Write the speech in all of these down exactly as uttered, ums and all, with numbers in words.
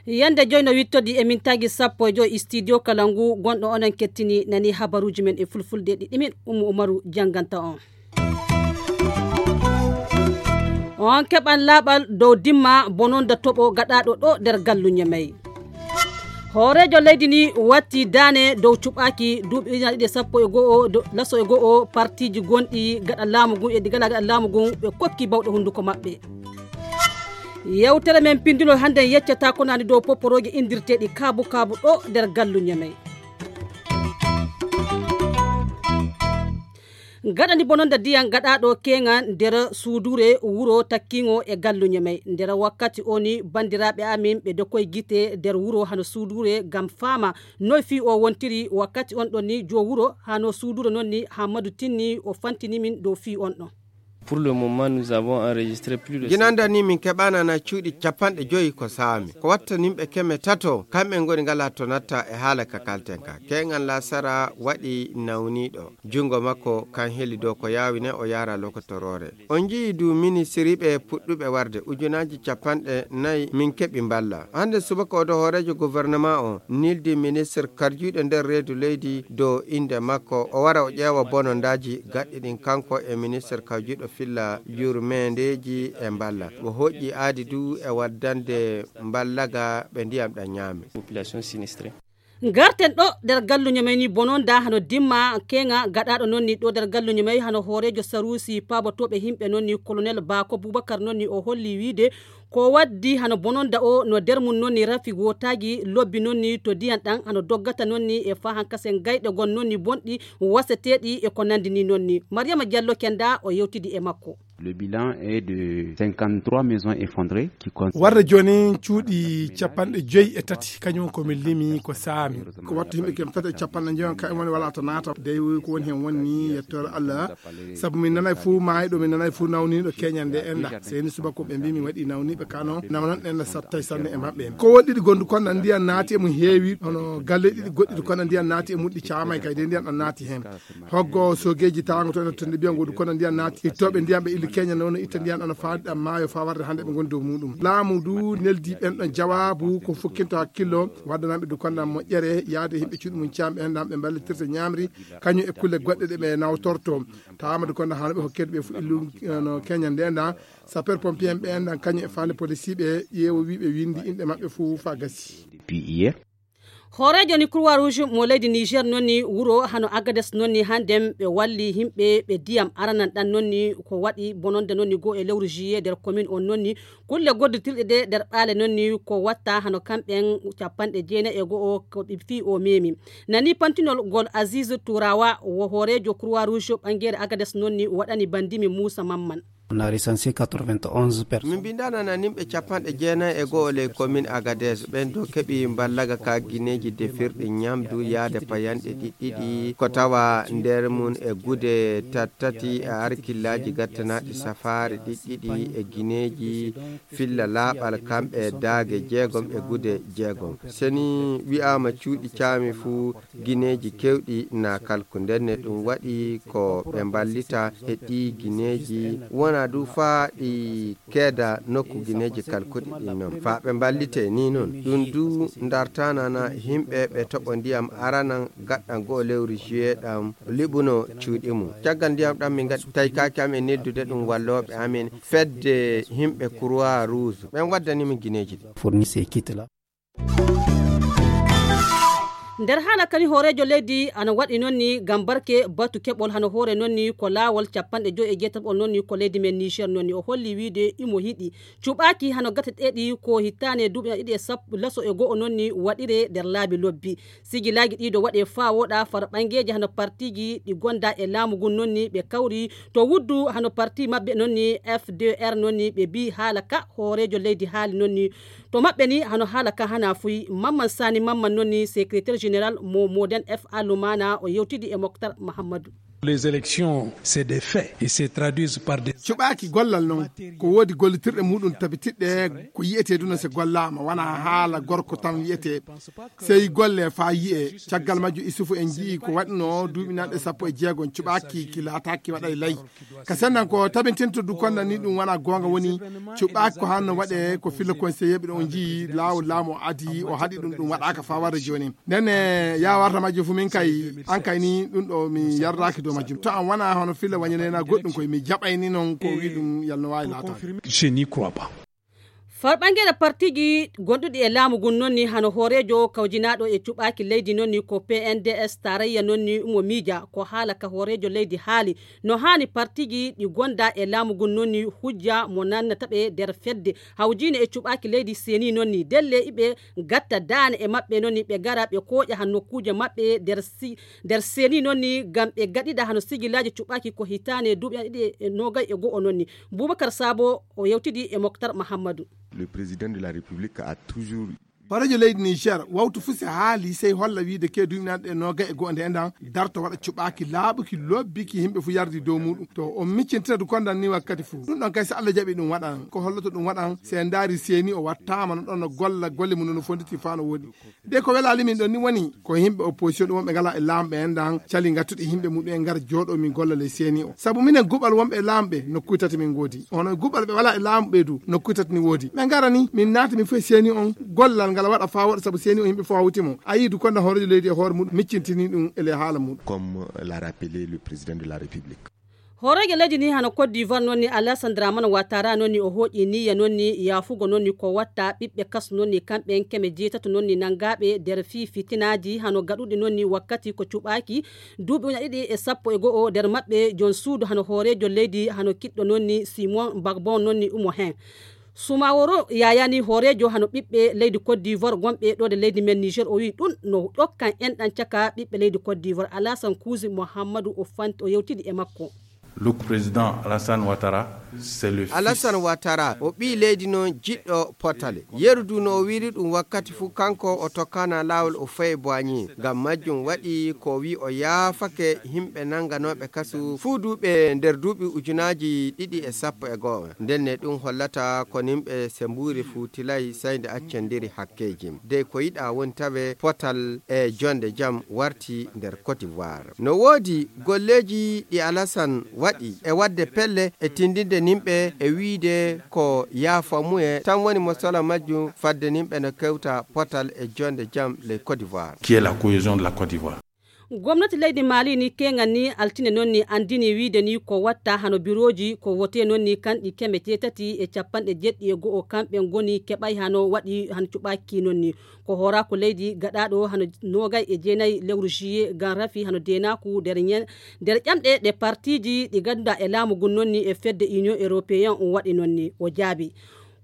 Yande joy no wittodi e mintaaji sappo e joy e studio kala ngu gonɗo onon kettini nani habaruuji men e fulfulde ɗiɗi min Ummu Umaru jannganta on. On keɓan laaɓal dow dimma bononda toɓo gaɗaaɗo ɗo nder gallu Ñemey. Hooreejo leydi ni watti daane dow cuɓaaki duuɓi ujunaaji ɗiɗi e sappo e go'o laso e go'o partiiji gonɗi gaɗa laamu ngun e ɗi ngalaa gaɗa laamu ngun ɓe kokki bawɗe hunnduko maɓɓe. Yewtere men pindunol hannde yeccata ko nani dow poporooje indirteeɗi kaabu kaabu ɗo nder gallu Ñemey. Gaɗani bononda ndiyam gaɗaaɗo keeŋa nder suuduure wuro takkiŋo e gallu Ñemey. Nder wakkati o ni banndiraaɓe amin ɓe dokoy gite nder wuro hano suuduure ngam faama noy fii o wontiri. Wakkati on ɗon ni joo wuro hano suuduure non ni Hammadu Tinni o fantini min dow fii on ɗon. Pour le moment, nous avons enregistré plus de Ginanda ni min keɓanana cuuɗi capanɗe joyi ko saami. Ko watta nimɓe keme tato, kamɓe ngoni ngala to natta e haala ka kalten ka. Keeŋan lasara waɗi nawniiɗo. Junngo makko kan heli dow ko yaawi ne o yaara lokotoroore. On njiyi du ministiriiɓe puɗɗuɓe warde ujunaaji capanɗe nayi min keɓi mballa. Hannde subaka odo hooreejo gouvernement o nildi ministre karjuuɗo nder reedu leydi dow innde makko. O wara o ƴeewa bonondaaji gaɗɗi ɗin kanko e ministre karjuuɗo filla yurmeendeeji e mballa. O hoƴƴi aadi du e waddande mballaga ɓe ndiyam ɗam ñaami. Population sinistrée. Ngarten ɗo nder galluño may ni bononda hano dimma keŋa gaɗaaɗo non ni ɗo nder galluño may hano hooreejo saruusi paabotooɓe himɓe non ni kolonel baako bubakar non ni o holli wiide ko waddi hano bononda o no nder mum non ni rafi wootaagi lobbi non ni to ndiyan ɗan hano doggata non ni e fahan kasen gayɗe gon non ni bonɗi waseteeɗi e ko nandi ni non ni mariyama diallo kenda o yewtidi e makko. Le bilan est de cinquante-trois maisons effondrées qui concernent warde jooni cuuɗi capanɗe joyi e tati kañum ko min limi ko saami. Ko wattu yimɓe kem tati e capanɗe joyi on kañum woni wala to naata dey ko woni hen woni yettore allah. Sabu min nanay fuu maayɗo min nanay fuu nawniiɗo keñande enda seni subako ɓe mbi min waɗi nawniiɓe kano nawnan ɗen sattay sanne e maɓɓe ko won ɗiɗi gondu konɗa ndiyan naati e mum heewi hono galle ɗiɗi goɗɗiɗi konɗa ndiyan naati e muɗɗi caamay kay de ndiyan ɗan naati hen. Hoggo sogeeji tawango to ene tonnde mbiyan goɗɗum kono ndiyan naati ittooɓe ndiyan ɓe illi keña noon no itta ndiyan ɗon no faadi ɗam maayo faa warde hannde ɓe ngoni dow muɗum laamu du neldi ɓen ɗon jawaabu ko fukkinto hakkillo waddananɓe du konɗam moƴƴere yaade yimɓe cuuɗi mum caam ɓen ɗam ɓe mballitirta ñaamri kañum e kulle goɗɗe ɗe ɓe nawtorto tawama du konɗam hano ɓe hokkede ɓe fof illu no keña nde ɗan sapeur pompier en ɓe ɗan kañum e faande policier ɓe ƴeewo wi ɓe windi inɗe maɓɓe fof fa gasi. Depuis hier. Hooreejo ni croix rouge mo leydi niger noon ni wuro hano agades noon ni hannden ɓe walli yimɓe ɓe ndiyam aranan ɗan noon ni ko waɗi bononde noon ni goo e lewru juillet nder commune on noon ni kulle goddotirɗe ɗe nder ɓaale noon ni ko watta hano kamɓen capanɗe jeenayi e go'o ko ɓe fii o memi nani pantinol ngol aziz turawa wo hooreejo croix rouge ɓangeere agades noon ni waɗani bandimi moussa mamman. On a recensé quatre-vingt-onze personnes. Min mbindanana nimɓe capanɗe jeenayi e go'o ley commune agadez ɓen do keɓi mballaga ka gineeji defirɗi ñamdu yaade payanɗe ɗiɗɗiɗi ko tawa nder mum e gude tattati e arkillaaji gattanaɗi safaari ɗiɗɗiɗi e gineeji filla laaɓal kamɓe daage jeegom e gude jeegom seni wi'ama cuuɗi caami fuu gineeji kewɗi na kalku ndenne ɗum waɗi ko ɓe mballita e ɗi gineeji wona du faa ɗi keeda nokku gineeji kalkuɗi ɗin noon faa ɓe mballite ni noon ɗum du ndartanana yimɓe ɓe toɓo ndiyam aranan gaɗɗan goo lewru juillet ɗam liɓuno cuuɗi mum caggal ndiyam ɗam min ngaɗi taykaaki am e neldude ɗum wallooɓe amin fedde yimɓe croix rouge ɓen waddani min gineeji ɗi fournir ces kits là. Nder haala kadi hooreejo leydi ana waɗi noon ni ngam barke batu keɓol hano hoore noon ni ko laawol capanɗe joyi e jeetaɓol noon ni ko leydi men niger noon ni o holli wiide imo yiɗi cuɓaaki hano gateteeɗi ko hittaane duuɓi ɗiɗi e sappo laso e go'o noon ni waɗire nder laabi lobbi sigilaaji ɗiɗo waɗe faa woɗa faro ɓangeeji hano partiiji ɗi gonda e laamu ngun noon ni ɓe kawri to wuddu hano parti maɓɓe noon ni f d r noon ni ɓe mbi haala ka hooreejo leydi haali noon ni to maɓɓe ni hano haala ka hana fuy mamman sani mamman noon ni secrétaire général mo moden f a lumana o yewtidi e moctar mahammadu. Les élections, c'est des faits et se traduisent par des... Cuɓaaki gollal noon, ko woodi gollitirɗe muɗum tabitiɗɗe, ko yiyetee duna so gollaama, wonaa haala gorko tan yiyetee. Sey golle faa yiyee. Caggal majjum, Isufu, en njiyii ko waɗnoo duuɓi nanɗe sappo e jeegom, cuɓaaki ki laataaki waɗa e lay. Ka sennan ko tabintinto du konda ni ɗum wonaa goonga woni, cuɓaaki ko hanno waɗee ko filla conseiller ɓe ɗon njiyii laawol laamu o adii, o haɗi ɗum, ɗum waɗaaka faa warde jooni. Nden e yaa warta majjum fu min kay, an kay ni ɗum ɗo mi yardaaki dow majjum. To an wonaa hono filla wañaneenaa goɗɗum koy, mi jaɓay ni noon ko wi ɗum yalno waawi laataade. Je n'y crois pas. Farɓangeeɗe partiiji gonɗuɗi e laamu ngun noon ni hano hooreejo kawjinaaɗo e cuɓaaki leydi noon ni ko P N D S tarayya noon ni umo miija ko haala ka hooreejo leydi haali no haani partiiji ɗi gonda e laamu ngun noon ni hujja mo nannata ɓe nder fedde hawjiine e cuɓaaki leydi seeni noon ni delle iɓe gatta daane e maɓɓe noon ni ɓe gara ɓe kooƴa han nokkuuje maɓɓe nder si nder seeni noon ni ngam ɓe gaɗiɗa hano sigilaaji cuɓaaki ko hitaane duuɓi ɗiɗi e noogay e go'o noon ni. Boubacar Sabo o yewtidi e Moktar Mahammadu. Le président de la République a toujours... Hooreejo leydi Niger wawtu fuu si haali sey holla wiide ke duuɓi nanɗe noogay e go'o nde enɗan darto waɗa cuɓaaki laaɓuki lobbiki yimɓe fuu yardi dow muɗum to on miccintina du kondan ni wakkati fuu ɗum ɗon kay so Allah jaɓi ɗum waɗan ko holloto ɗum waɗan si en ndaari seeni o wattaama no ɗon no golla golle mum no fonditi faa no woodi. De ko welaali min ɗon ni woni ko yimɓe opposition ɗum wonɓe ngalaa e laamu ɓe enɗan cali ngattuɗi yimɓe muɗum en ngar jooɗo min golla ley seeni o sabu minen guɓal wonɓe e laamu ɓe nokkuuji tati min ngoodi hono guɓal ɓe walaa e laamu ɓe du nokkuuji tati ni woodi ɓe ngara ni min naata min fof e seeni on gollal ngal waɗa faa woɗa sabu seeni o yimɓe fof hawti mo a yii du konda hooreejo leydi e hoore muɗum miccintini ɗum e ley haala muɗum. Comme l'a rappelé le président de la République. Hooreejo leydi ni hano Côte d'Ivoire noon ni Alassane Dramane Ouattara noon ni o hooƴi niyya noon ni yaafugo noon ni ko watta ɓiɓɓe kas noon ni kamɓe en keme jeetato noon ni nanngaaɓe nder fii fitinaaji hano gaɗuɗi noon ni wakkati ko cuɓaaki duuɓi uña ɗiɗi e sappo e go'o nder maɓɓe joom suudu hano hooreejo leydi hano kiɗɗo noon ni Simon Gbagbo noon ni umo heen. Sumaworo yayani hooreejo hano ɓiɓɓe leydi Côte d'Ivoire gonɓe ɗo de leydi men Niger o wi ɗum no ɗokkan enɗan caka ɓiɓɓe leydi Côte d'Ivoire Alassane Kuusi Mohammadu o fanti o yewtidi e makko. Look président Alassane Ouattara c'est le fils. Alassane Ouattara o ɓii leydi noon jiɗɗo potale yeru du no o wiri ɗum wakkati fuu kanko o tokkana laawol o fayi boigné ngam majjum waɗi ko wi o yaafake yimɓe nannganooɓe kasu fuu duuɓe nder duuɓi ujunaaji ɗiɗi e sappo e go'o ndenne ɗum hollata ko nimɓe se mbuuri fuu tilay say nde accendiri hakkeeji dey ko yiɗa woni tawe potal e jonde jam warti nder Côte d'Ivoire no woodi golleeji ɗi Alassane waɗi e waɗde pelle e tindinde nimɓe e wiide ko yaafamuye tan woni mo sola majjum fadde nimɓe no kewta potal e jonde jam ley Côte d'Ivoire. Qui est la cohésion de la Côte d'Ivoire. Gomnati leydi Mali ni keŋal ni altine noon ni anndini wiide ni ko watta hano birooji ko wote noon ni kanɗi keme jeetati e capanɗe jeɗɗi e go'o kamɓe ngoni keɓay hano waɗi han cuɓaaki noon ni ko hooraaku leydi gaɗaaɗo hano noogay e jeenay lewru juillet ngam rafi hano deenaaku nder ñen nder ƴamɗe ɗe partiiji ɗi ngannduɗaa e laamu ngun noon ni e fedde Union Européen waɗi noon ni o jaabi.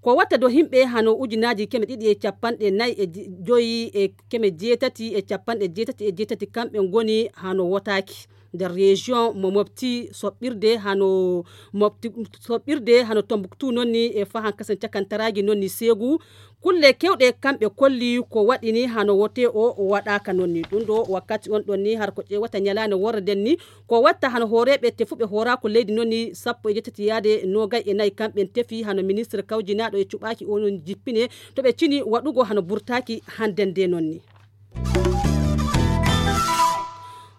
Ko watta do yimɓe hano ujunaaji keme ɗiɗi e capanɗe nayi e joyi e keme jeetati e capanɗe jeetati e jeetati kamɓe ngoni hano wotaaki nder région mo mofti soɓɓirde hano mofti soɓɓirde hano Tombouctou noon ni e fahan kasen cakantaraaji noon ni seegu kulle kewɗe kamɓe kolli ko waɗini hano wote o waɗaaka noon ni ɗum ɗo wakkati on ɗon ni har ko ƴeewata ñalaande worre nden ni ko watta hano hooreeɓe tefuɓe hooraaku leydi noon ni sappo e jeetati yaade noogay e nayi kamɓe tefi hano ministre kawjinaaɗo e cuɓaaki o noon jippine to ɓe cini waɗugo hano burtaaki hannden nde noon ni.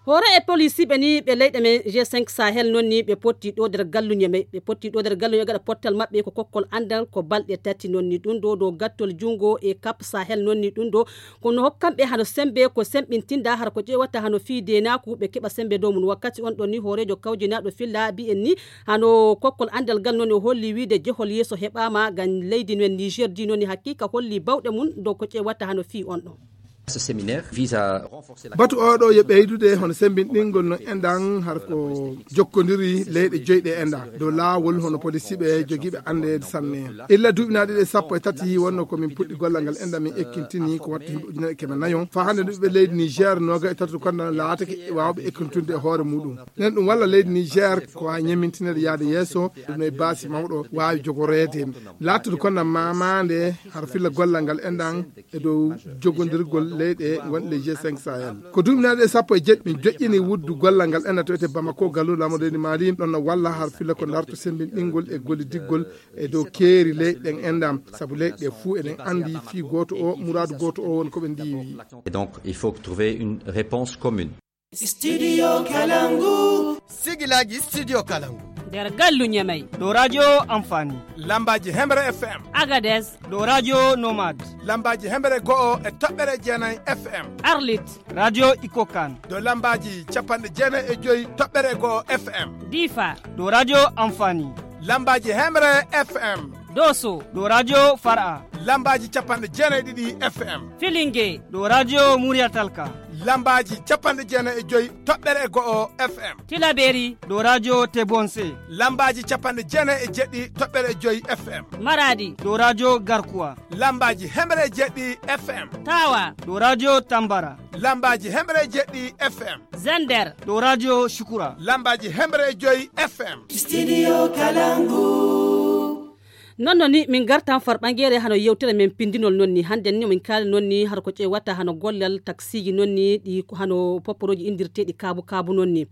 Hoore e polisiiɓe ni ɓe leyɗe men G cinq Sahel noon ni ɓe potti ɗo nder galluñe men ɓe potti ɗo nder galluñe gaɗa pottal maɓɓe ko kokkol anndal ko balɗe tati noon ni ɗum ɗo dow gattol junngo e Cap Sahel noon ni ɗum ɗo kono hokkanɓe hano sembe ko semɓintinda har ko ƴeewata hano fii deenaaku ɓe keɓa sembe dow mum wakkati on ɗon ni hooreejo kawjinaaɗo filla mbiyen ni hano kokkol anndal ngal noon o holli wiide jehol yeeso heɓaama ngam leydi men Niger di noon ni haqiiqa holli bawɗe mum dow ko ƴeewata hano fii on ɗon. Batu oɗo yo ɓeydude hono sembinɗingol no enɗan har ko jokkodiri leyɗe joyɗe enɗan dow laawol hono polisiɓe jogiiɓe anndeede sanne. Illa duuɓi na ɗiɗi e sappo e tati wonno ko min puɗɗi gollal ngal enɗan min ekkintini ko wattu yimɓe ujunere keme nayon faa hannde ɓiɓɓe leydi Niger noga e tati konda laatake waawɓe ekkintunde e hoore muɗum. Nen ɗum walla leydi Niger ko waawi ñemmintinede yaade yeeso ɗum e baasi mawɗo waawi jogoreede laattude konda mamande har filla gollal ngal enɗan e dow jogondirgol Leyɗe wonɗe les G cinq Sahel. Ko duuɓi nayi ɗe sappo e jeɗɗi min joƴƴini wuddu gollal ngal enna to ete Bamako, gallu laamu leydi Mali, ɗon no walla har filla ko darto semmbinɗingol e gollidiggol e dow keeri leyɗe ɗen enɗam. Sabu leyɗe ɗe fuu eɗen anndi fii gooto o, muraadu gooto o woni ko ɓe ndiiwi. Et donc, il faut trouver une réponse commune. Studio Kalangu. Sigilaaji Studio Kalangu. Nder gallu Ñamey. Ɗo radio Amfani. Lambaaji Hemre F M. Agadez. Ɗo radio Nomad. Lambaaji Hemre go'o e toɓɓere jeenayi F M. Arlit. Radio Ikokan. Ɗo lambaaji capanɗe jeenayi e joyi toɓɓere go'o F M. Difa. Ɗo radio Amfani. Lambaaji Hemre F M. Doso. Ɗo radio Far'a. Lambaaji capanɗe jeenayi ɗiɗi F M. Filinge. Ɗo radio Murya Talka. Lambaaji capanɗe jeenayi e joyi toɓɓere e go'o F M. Tilaberi. Ɗo radio Tebonse. Lambaaji capanɗe jeenayi e jeɗɗi toɓɓere e joyi F M. Maradi. Ɗo radio Garkuwa. Lambaaji hemre e jeɗɗi F M. Tawa. Ɗo radio Tambara. Lambaaji hemre e jeɗɗi F M. Zender. Ɗo radio Shukura. Lambaaji hemre e joyi F M. Studio Kalangu. Non non ni min gartan farɓangere hano yewtere men pindinol non ni. Hande ni min kaali non ni har ko ƴeewata hano gollal taksiiji non ni ɗi hano popporooji indirteeɗi kaabu kaabu non ni.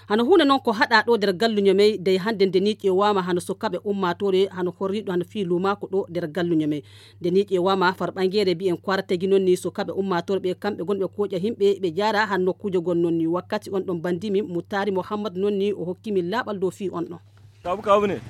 Hano huunde non ko haɗa ɗo nder gallu Ñamey dey hande nde ni ƴeewaama hano sukaaɓe ummaatoore hano horriiɗo hano fii luumaako ɗo nder gallu Ñamey. Nde ni ƴeewaama farɓangere mbiyen kwarategi non ni sukaaɓe ummaatoore ɓe kamɓe gonɓe kooƴa himɓe ɓe jaara han nokkuuje gon non ni wakkati on ɗon bandi min Mutaari Muhammad non ni o hokki min laaɓal dow fii on ɗon. Kaabu kaabu ne.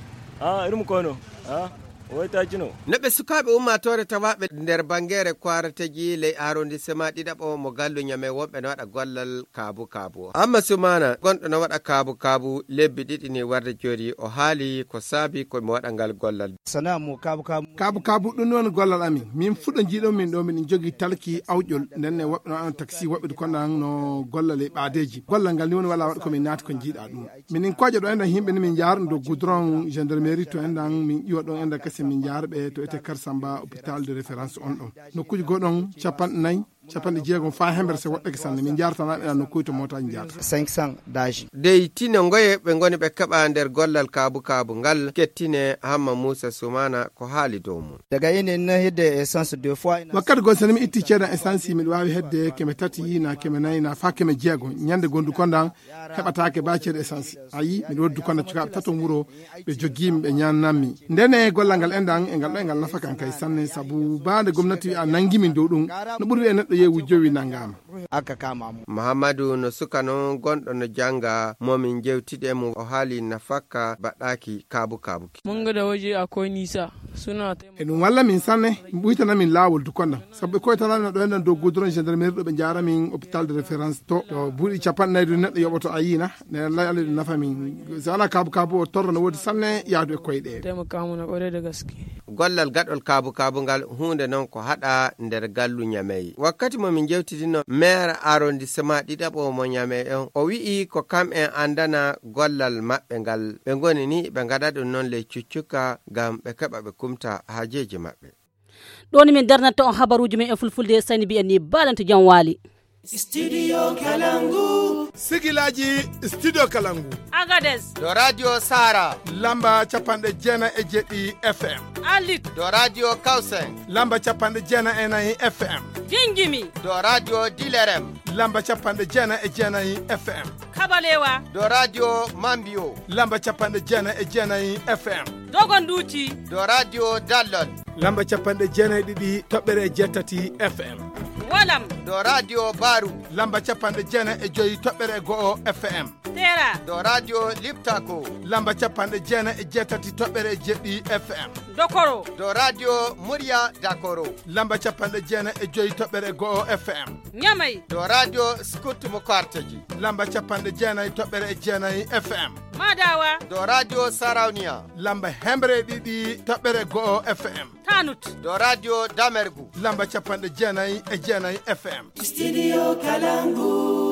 Ah, irin mu kono. Ah, wai ta kino. No ɓe sukaaɓe ummaatoore tawaaɓe nder bangeere kwarategi ley arrondissement ɗiɗaɓo mo gallu Ñamey wonɓe no waɗa gollal kaabu kaabu. Amma Sumana, gonɗo no waɗa kaabu kaabu lebbi ɗiɗi ni warde jooɗi, o haali ko saabi ko mo waɗa ngal gollal. Sana'a mo kaabu kaabu. Kaabu kaabu ɗum woni gollal amin. Min fuɗo jiiɗo min ɗo min jogii talki awƴol. Nden ne woɓɓe no waɗa taxi, woɓɓe ko nan no gollal e ɓaadeeji. Gollal ngal ni woni wala waɗa ko min naati ko jiiɗa ɗum. Minin kooƴa ɗo enɗan yimɓe ni min njaara ɗum dow goudron gendarmerie to enɗan min ƴiwa ɗon enɗan kasi min njaara ɓe to ete Karsamba hôpital de référence on ɗon. Nokkuuji goo ɗon capanɗe nayi, capanɗe jeegom faa hemre se woɗɗake sanne. Min njaarata nan enɗan nokkuuji to mootaaji njaata. Cinq cents daji. Dey tino ngoye ɓe ngoni ɓe keɓa nder gollal kaabu kaabu ngal kettine Hamma Muusa Sumaana ko haali dow mum. Daga ina ina hedde essence deux fois ina. Wakkati goo so mi itti ceedan essence miɗo waawi hedde keme tati na keme nayi na faa keme jeego. Ñande gondu kondan heɓataake ba ceede essence. A yii, miɗo woddu kono cukaaɓe tato wuro, ɓe jogiimi, ɓe ñaannanmi. Ndene gollal ngal enɗan, e ngal ɗo, e ngal nafa kan kay sanne, sabu ba nde gomnati wi'a nangi min dow ɗum, no ɓuri wi'e neɗɗo yehi wujjowi nangaama. Aka kama mo. Muhammadu no suka non gonɗo no jannga, mo min jewtide mo, o haali nafaka baɗɗaaki kaabu kaabuki. Mun ga da waje akwai nisa, suna taimaka. E ɗum walla min sanne, mi ɓuytana min laawol dukonda. Sabu ɓe koytanaami no ɗo enɗan dow goudron gendarmerie ɗo ɓe njaara min hôpital de référence to. To buuɗi capanɗe nayi ɗum neɗɗo yoɓoto a yiina, ne Allah Allah ɗum nafa min. So alaa kaabu kaabu o torra no woodi sanne yaadu e koyɗe. Taimaka mana ƙwarai da gaske. Gollal gaɗol kaabu kaabu ngal huunde non ko haɗa nder gallu Ñamey. Wakkati mo min jewtidino maire arrondissement ɗiɗaɓo mo Ñamey on, o wi'i ko kam en andana gollal maɓɓe ngal. Ɓe ngoni ni ɓe ngaɗa ɗum non ley cuccuka ngam ɓe keɓa ɓe kumta haajeeji maɓɓe. Ɗo ni min darnata on habaruuji men e fulfulde, sani mbiyen ni baalanto jam waali. Studio Kalangu. Sigilaaji Studio Kalangu. Agadez. Ɗo Radio Sara. Lamba capanɗe jeenayi e jeɗɗi F M. Arlit. Ɗo Radio Kausen. Lamba capanɗe jeenayi e nayi F M. Gingimi. Ɗo Radio Dilerem. Lamba capanɗe jeenayi e jeenayi F M. Kabalewa. Ɗo Radio Mambio. Lamba capanɗe jeenayi e jeenayi F M. Dogonduuti. Ɗo Radio Dallol. Lamba capanɗe jeenayi e ɗiɗi toɓɓere e jeetati F M. Walam. Ɗo Radio Baru. Lamba capanɗe jeenayi e joyi toɓɓere e go'o F M. Tera. Ɗo Radio Liptako. Lamba capanɗe jeenayi e jeetati toɓɓere e jeɗɗi F M. Dokoro. Ɗo Radio Murya Dakoro. Lamba capanɗe jeenayi e joyi toɓɓere e go'o F M. Ñamey. Ɗo Radio Scout mo Karteji. Lamba capanɗe jeenayi toɓɓere e jeenayi F M. Madawa. Ɗo Radio Sarauniya. Lamba hemre e ɗiɗi toɓɓere e go'o F M. Tanut. Ɗo Radio Damergu. Lamba capanɗe jeenayi e jeenayi F M. Studio Kalangu.